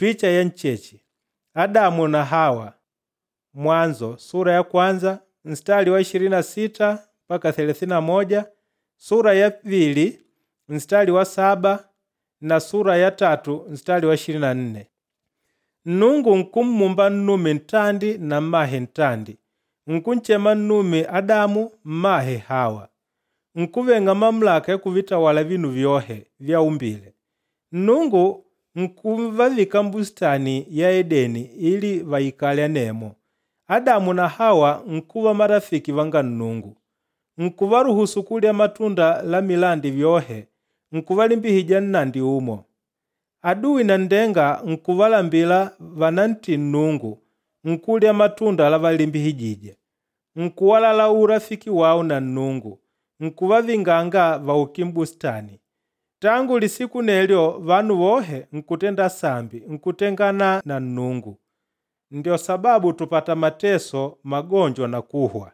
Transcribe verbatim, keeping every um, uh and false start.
Picha ya ncheche Adamu na Hawa Mwanzo sura ya kwanza mstari wa ishirini na sita mpaka thelathini na moja, sura ya pili mstari wa saba na sura ya tatu mstari wa ishirini na nne. Nnungu nkummumba nnume ntandi na mmahe ntandi, nkunchema nnume Adamu mmahe Hawa. Nkuveng'a mamulaka ya kuvitawala vinu vyohe vyaumbile. Nnungu nkuvavika m'bustani ya Edeni ili vaikale anemo. Adamu na Hawa nkuva marafiki vanga Nnungu. Nkuvaruhusu kulya matunda la milandi vyohe, nkuvalimbihija nnandi umo. Adui nanndenga nkuvalambila vanantii Nnungu, nkulya matunda lavalimbihijije. Nkuwalala urafiki wao na Nnungu, nkuvavinganga vauke m'bustani. Tangu lisiku nelyo vanu vohe nkutenda sambi, nkutengana na Nnungu. Ndio sababu tupata mateso, magonjwa na kuhwa.